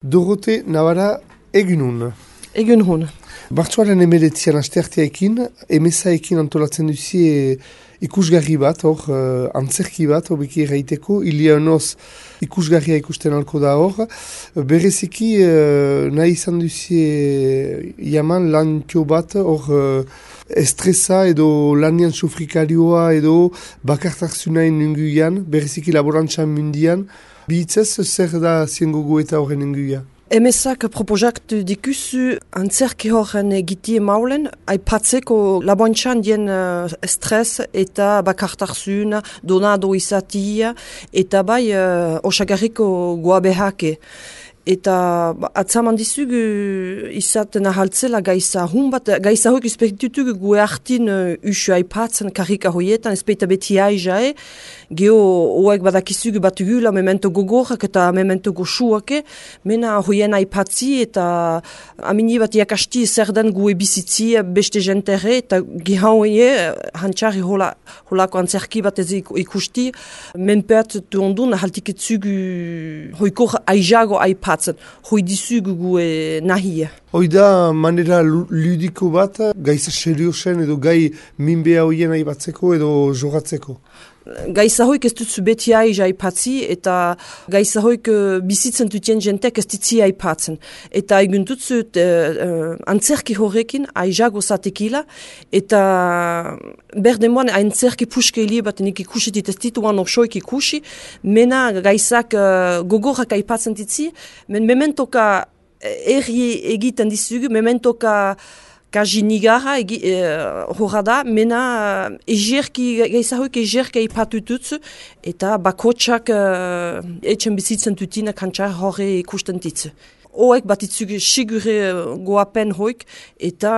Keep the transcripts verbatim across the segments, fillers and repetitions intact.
Dorote Navara egunun. Egun Martxoaren emeletzian astearteaekin, emezaekin antolatzen duzie ikusgarri bat, hor, uh, antzerki bat, hor beki erraiteko, Ilianoz ikusgarria ikusten alko da hor. Bereziki uh, nahi izan duzie jaman lan tio bat, hor uh, estresa edo lanian sufrikarioa edo bakartarzunain nunguian, bereziki laborantzan mundian. Bihitzez, zer da ziengogo eta horren nunguia? Emezak proposaktu dikuzu antzerki horren egitie maulen, aipatzeko laboantxan dien uh, estres eta bakartarzuna, donado izatia, eta bai uh, osagarriko goabehake. Eta atzaman dizugu izaten ahaltzela gaisa hun bat, gaisa hoik izpektutugu gue hartin uh, usu aipatzen karika hoietan, ezpeita beti aizae, geho hoek badakizugu batugula memento gogorak eta memento goxuake, mena hoien aipatzi eta amini bat jakasti zer den gue bizitzi beste jentere, eta gehan hoie hantxarri hola, holako antzerki bat ez ikusti, menpeat tu ondun ahaltiketzugu hoikor aizago aipatzen. Hoi dizugu gue nahia. Hoi da manera ludiko bat, gaiza seriosen edo gai minbea hoien aipatzeko edo jogatzeko? Gaiza hoik ez dutzu beti aiza aipatzi eta gaiza hoik uh, bizitzen dutien jentek ez ditzi aipatzen. Eta egun dutzut uh, uh, antzerki horrekin aizago zatekila eta berdemoan antzerki puske hili bat nik ikusitit ez dituan orsoik ikusi, mena gaizak uh, gogorak aipatzen ditzi, men mementoka erri egiten dizugu, mementoka kaji nigarra egi, e, horra da, mena egerki, gaizahoik egerki eipatututzu, eta bakotsak uh, etxen bizitzen dutina kantxar horre ikusten ditzu. Hoek batitzugu sigure goapen hoik, eta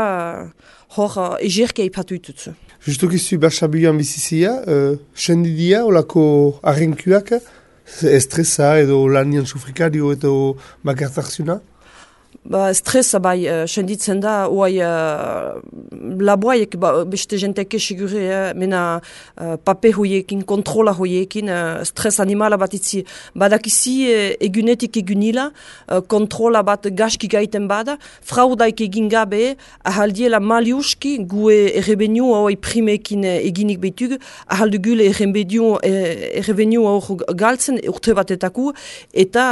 hor uh, egerki eipatututzu. Justukizu Barsabilan bizizia, uh, sendidia, olako arrenkuak, estresa edo lanian sufrikario edo bakartarzuna? Ba, estresa bai, uh, senditzen da, oai uh, laboaiek ba, beste jenteke sigure, eh, mena uh, pape hoiekin, kontrola hoiekin, uh, stres animala bat itzi. Badakizi uh, egunetik egunila, uh, kontrola bat gaski gaiten bada, fraudaik egin gabe, ahaldiela maliuski, gue errebeniu hoi primekin eginik behitugu, ahaldugule errebeniu, errebeniu hor galtzen, urte batetaku, eta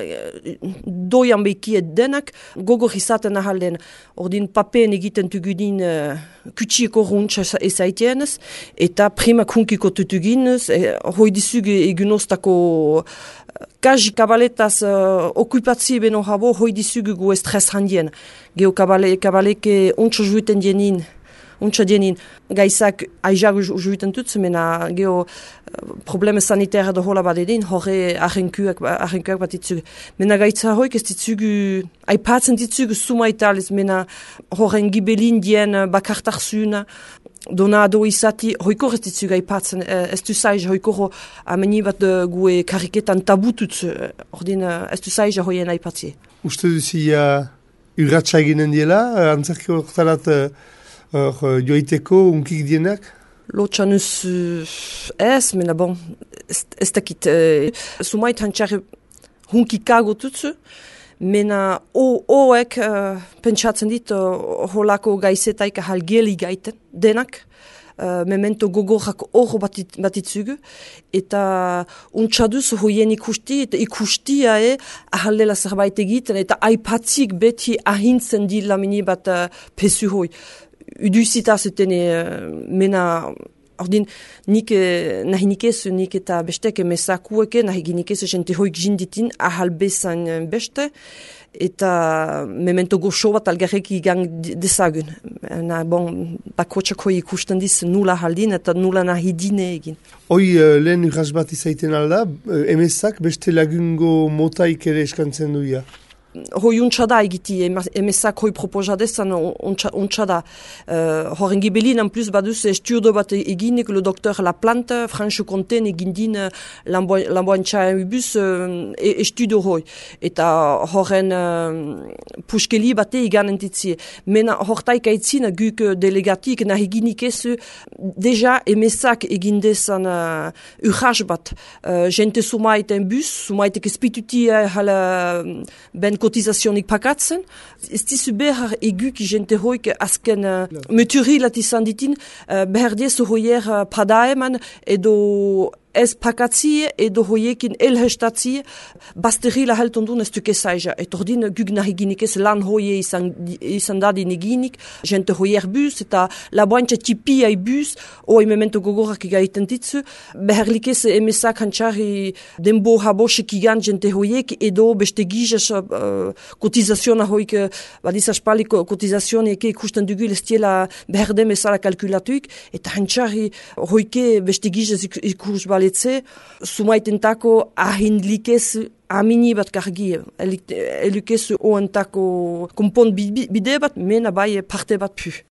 uh, doian behikiet denak, gogor izaten ahalden, ordin papeen egiten tugudin uh, kutsieko runtsa ezaitienez, eta primak hunkiko tutuginez, e, hoi dizugu egunostako uh, kaji kabaletaz uh, okupatzi beno habo, hoi dizugu gu estres handien. Geo kabale, kabaleke ontsa juiten dienin, ontsa dienin, gaizak aizago juiten tutzu, mena geho probleme sanitaire da hola bat edin, horre ahenkuak, ahenkuak bat ditzugu. Mena gaitza hoik ez ditzugu, aipatzen ditzugu suma italiz, mena horren gibelin dien bakartarzuna, donado izati, hoiko ez ditzugu aipatzen, ez du zaiz, hoiko ameni bat gue kariketan tabututzu, ordin ez du zaiz hoien aipatzi. Uste duzia urratxa eginen diela, antzerki horretarat Hor, joiteko unkik dienak? Lotxanuz ez, mena bon, ez dakit. Uh, Sumait hantxarri hunkikago tutzu, mena hoek uh, pentsatzen dit uh, holako gaizetaik ahal geli gaiten, denak. Uh, memento gogorak horro batit, batitzugu, eta untxaduz hoien ikusti, eta ikustia e, ahaldela zerbait egiten, eta aipatzik beti ahintzen dila mini bat uh, pesu hoi. Uduzita zuten uh, mena, ordin, nik nahi nikezu, nik eta bestek emezakueke, nahi ginikezu jente hoik jinditin ahal bezan beste, eta memento goxo bat algarrek igang dezagun. Na, bon, bakotxak hoi ikusten diz nula haldin eta nula nahi dine egin. Hoi uh, lehen urras bat izaiten alda, emezak beste lagungo motaik ere eskantzen duia? hoi untxada egiti, emezak hoi proposadezan untxada. Uh, Horen gibelin, en plus, baduz estudio bat eginik, le doktor Laplante, Franche Conten egindin lamboantxa ubuz uh, estudio hoi. Eta horren uh, puskeli bate egan entitzie. Mena hortaik aitzin, guk delegatik nahi eginik ez, deja emezak egindezan uh, urras bat. Uh, gente sumaiten bus, sumaitek espituti uh, hala ben kotizazionik pakatzen. Ez dizu behar eguk jente hoik azken uh, meturi lat izan ditin, uh, behar diezu hoier uh, padaeman edo ez pakatzi edo hoiekin elhestatzi basteri la heltondun ez duke zaija. Et ordin guk nahi ginik ez lan hoie izan, izan dadin eginik, jente hoier bus eta laboantxa tipia bus, oi memento gogorak igaiten ditzu, beharlik ez emesak hantxari denbo habosek igan jente hoiek edo beste gizas uh, kotizaziona hoik, badiz aspali kotizazion eke ikusten dugu lestiela behar dem ezala kalkulatuik, eta hantxari hoike beste gizas ikus bale sumaitentako ahindlikez amini bat kargi, elukez oentako kompon bide bat, mena bai parte bat pu.